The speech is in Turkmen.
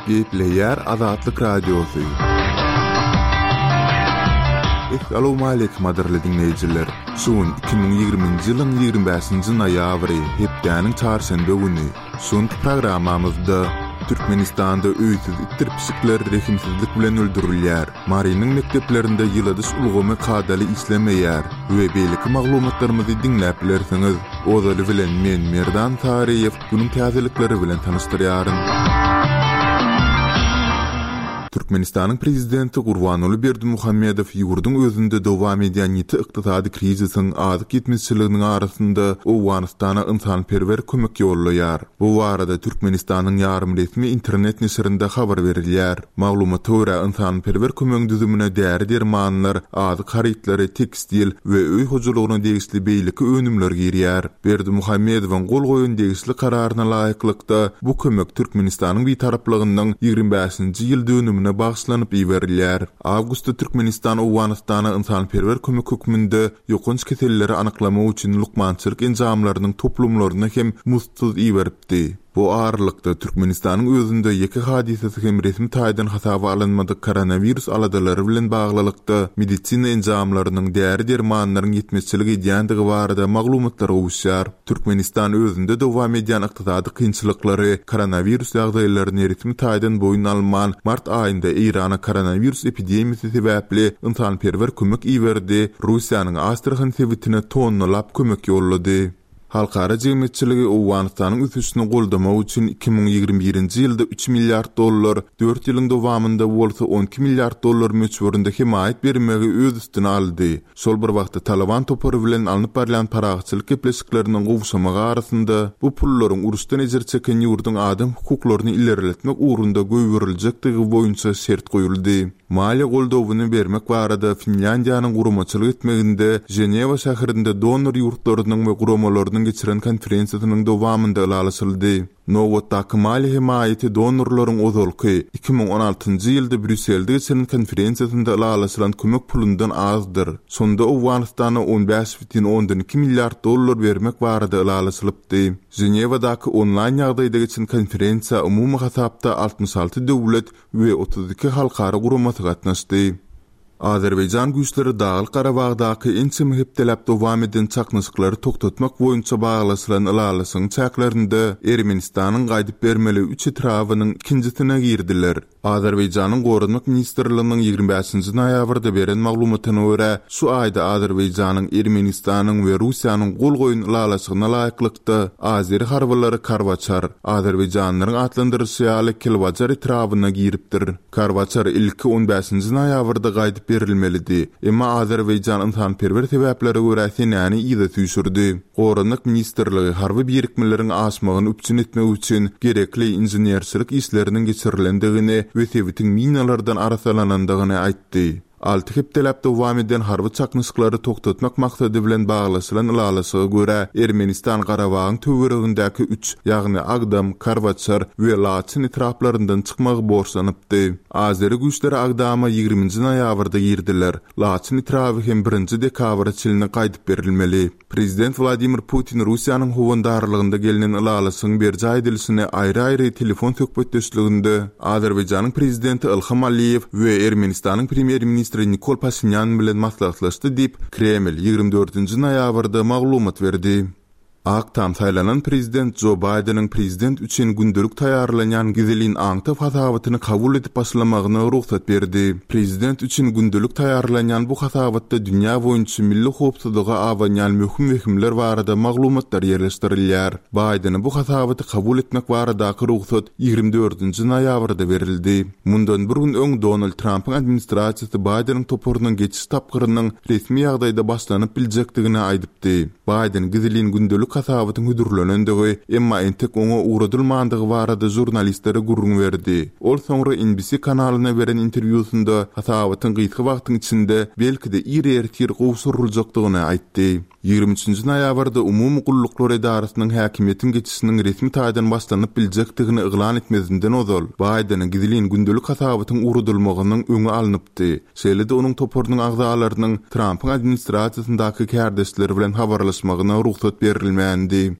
Gepleýär Azatlyk Radiosy. Essalawmaleýkim gadyrly diňleýjiler! Şu gün 2020-nji ýylyň 25-nji noýabry, hepdäniň çarşenbe güni. Şu günki programmamyzda Türkmenistanda öýsüz itdir pişikler rehimsizlik bilen öldürilýär, Marynyň mekdeplerinde ýyladyş ulgamy kadaly işlemeýär we beýleki maglumatlarymyzy diňläp bilersiňiz. Ozaly bilen men Merdan Saryýew günüň täzelikleri bilen tanyşdyrýaryn. Türkmenistanyň Prezidenti Gurbanguly Berdimuhamedow ýurduň özünde dowam edýän ýiti ykdysady krizisiň, azyk ýetmezçiliginiň arasynda Owganystana ynsanperwer kömek ýollaýar. Bu barada Türkmenistanyň ýarym-resmi internet neşirinde habar berilýär. Maglumata görä, ynsanperwer kömegiň düzümine däri-dermanlar, azyk harytlary, tekstil we öý hojalygyna degişli beýleki önümler girýär. Berdimuhamedowyň gol goýan degişli kararyna laýyklykda, bu kömek Türkmenistanyň Bitaraplygynyň 25-nji ýyl dönümine bagyşlanyp iberilýär. Awgustda Türkmenistan Owganystana ynsanperwer kömek hökmünde ýokanç keselleri anyklamak üçin lukmançylyk enjamlarynyň toplumlaryny hem muzdsuz iberipdi. Bu aralykda, Türkmenistanyň özünde ýeke hadysasy hem resmi taýdan hasaba alynmadyk koronawirus aladalary bilen baglylykda, medisina enjamlarynyň, däri-dermanlaryň ýetmezçilik edýändigi barada maglumatlar gowuşýar. Türkmenistan özünde dowam edýän ykdysady kynçylyklary, koronawirus ýagdaýlaryny resmi taýdan boýun alman, mart aýynda Eýrana koronawirus epidemiýasy sebäpli ynsanperwer kömek iberdi, Russiýanyň Astrahan sebitine tonnalap kömek ýollady. Halkara jemgyýetçiligi Owganystanyň ösüşini goldamak üçin 2021-nji ýylda üç milliard dollar, dört ýylyň dowamynda bolsa 12 milliard dollar möçberinde hemaýat bermegi öz üstüne aldy. Şol bir wagtda Talyban topary bilen alnyp barylýan parahatçylyk gepleşikleriniň gowşamagy arasynda, bu pullaryň uruşdan ejir çeken ýurduň adam hukuklaryny ilerletmek ugrunda goýberiljekdigi boýunça şert goýuldy. Maliýe goldawyny bermek barada Finlýandiýanyň guramaçylyk etmeginde Ženewa şäherinde donor ýurtlarynyň we guramalarynyň geçiren konferensiýasynyň dowamynda ylalaşyldy. Nobatdaky maliýe hemaýaty donorlaryň ozalky, 2016-njy ýylda Brýusselde geçiren konferensiýasynda ylalaşylan kömek pulundan azdyr. Şonda Owganystana 15,2 milliard dollar bermek barada ylalaşylypdy. Ženewadaky onlaýn ýagdaýda geçen konferensiýa umumy hasapda 66 döwlet we 32 halkara guramasy gatnaşdy. Azerbaýjan güýçleri Daglyk-Garabagdaky ençeme hepdeläp dowam eden çaknyşyklary togtatmak boýunça baglaşylan ylalaşygyň çäklerinde Ermenistanyň gaýdyp bermeli üç etrabynyň ikinjisine girdiler. Azerbaýjanyň Goranmak ministrliginiň 25-nji noýabrda beren maglumatyna görä, şu aýda Azerbaýjanyň, Ermenistanyň we Russiýanyň gol goýan ylalaşygyna laýyklykda, azeri harbylary Karwaçar, Azerbaýjanlaryň atlandyryşy ýaly Kelbajar etrabyna giripdir. Karwaçar ilki on bäşinji noýabrda gaýdyp berilmelidi. Emma Azerbaýjan ynsanperwer sebäplere görä senäni yza süýşürdi. Goranmak ministrligi harby birikmeleriň aşmagyny üpjün etmek üçin gerekli inženerçilik işleriniň geçirilendigini we sebitiň minalardan arassalanandygyny aýtdy. Alty hepdeläp dowam eden harby çaknyşyklary togtatmak maksady bilen baglaşylan ylalaşyga görä, Ermenistan Garabagyň töweregindäki üç, ýagny Agdam, Karwaçar we Laçyn etraplaryndan çykmagy borçlanypdy. Azeri güýçleri Agdama ýigriminji noýabrda girdiler. Laçyn etraby hem birinji dekabra çenli gaýdyp berilmeli. Prezident Wladimir Putin Russiýanyň howandarlygynda gelnen ylalaşygyň berjaý edilişini aýry-aýry telefon söhbetdeşliginde Azerbaýjanyň Prezidenti Ilham Aliýew we Ermenistanyň Premýer-ministri Nikol Paşinýan bilen maslahatlaşdy diýip, Kreml 24-nji noýabrda maglumat berdi. Ak Tam saýlanan prezident Jo Baýdeniň prezident üçin gündelik taýýarlanýan gizlin aňtaw hasabatyny kabul edip başlamagyna rugsat berdi. Prezident üçin gündelik taýýarlanýan bu hasabatda dünýä boýunça milli howpsuzlyga abanýan möhüm wehimler barada maglumatlar ýerleşdirilýär. Baýdene bu hasabaty kabul etmek baradaky rugsat 24-nji noýabrda berildi. Mundan bir gün öň Donald Trampyň administrasiýasy Baýdeniň toparynyň geçiş tapgyrynyň resmi ýagdaýda başlanyp biljekdigini aýdypdy. Baýden gizlin gündelik hasabatyň hödürlenendigi, emma entek oňa ugradylmandygy barada žurnalistlere gürrüň berdi. Ol soňra NBC kanalyna beren interwýusynda hasabatyň gysga wagtyň içinde, belki-de ir ertir gowşuryljakdygyny aýtdy. 23 nji noýabrda Umumy gulluklar edarasynyň häkimiýetiň geçişiniň resmi taýdan başlanyp biljekdigini yglan etmezinden ozal, Baýdene gizlin gündelik hasabatyň ugradylmagynyň öňi alnypdy. Şeýle-de onuň toparynyň agzalarynyň Trampyň administrasiýasyndaky kärdeşleri bilen habarlaşmagyna rugsat berilmändi.